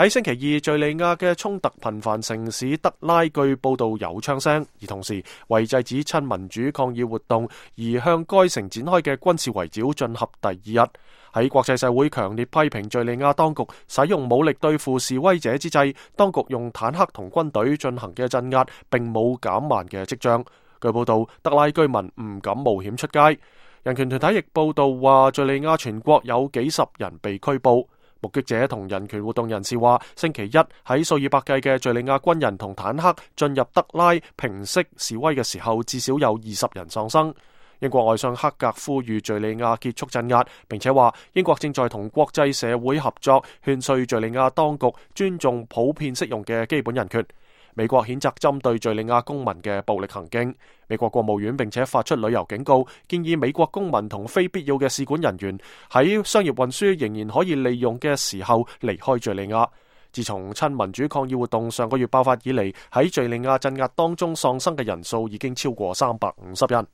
喺星期二，敘利亞嘅衝突頻繁城市德拉據報道有槍聲，而同時為制止親民主抗議活動而向該城展開嘅軍事圍剿進入第二日。喺國際社會強烈批評敘利亞當局使用武力對付示威者之際，當局用坦克同軍隊進行嘅鎮壓並冇減慢嘅跡象。據報道，德拉居民唔敢冒險出街。人權團體亦報道話，敘利亞全國有幾十人被拘捕。目擊者同人權活動人士話，星期一喺數以百計嘅敘利亞軍人同坦克進入德拉平息示威嘅時候，至少有20人喪生。英國外相克格呼籲敘利亞結束鎮壓，並且話英國正在同國際社會合作，勸說敘利亞當局尊重普遍適用嘅基本人權。美國譴責針對敘利亞公民嘅暴力行徑。美國國務院並且發出旅遊警告，建議美國公民同非必要嘅使館人員喺商業運輸仍然可以利用嘅時候離開敘利亞。自從親民主抗議活動上個月爆發以嚟，喺敘利亞鎮壓當中喪生嘅人數已經超過350人。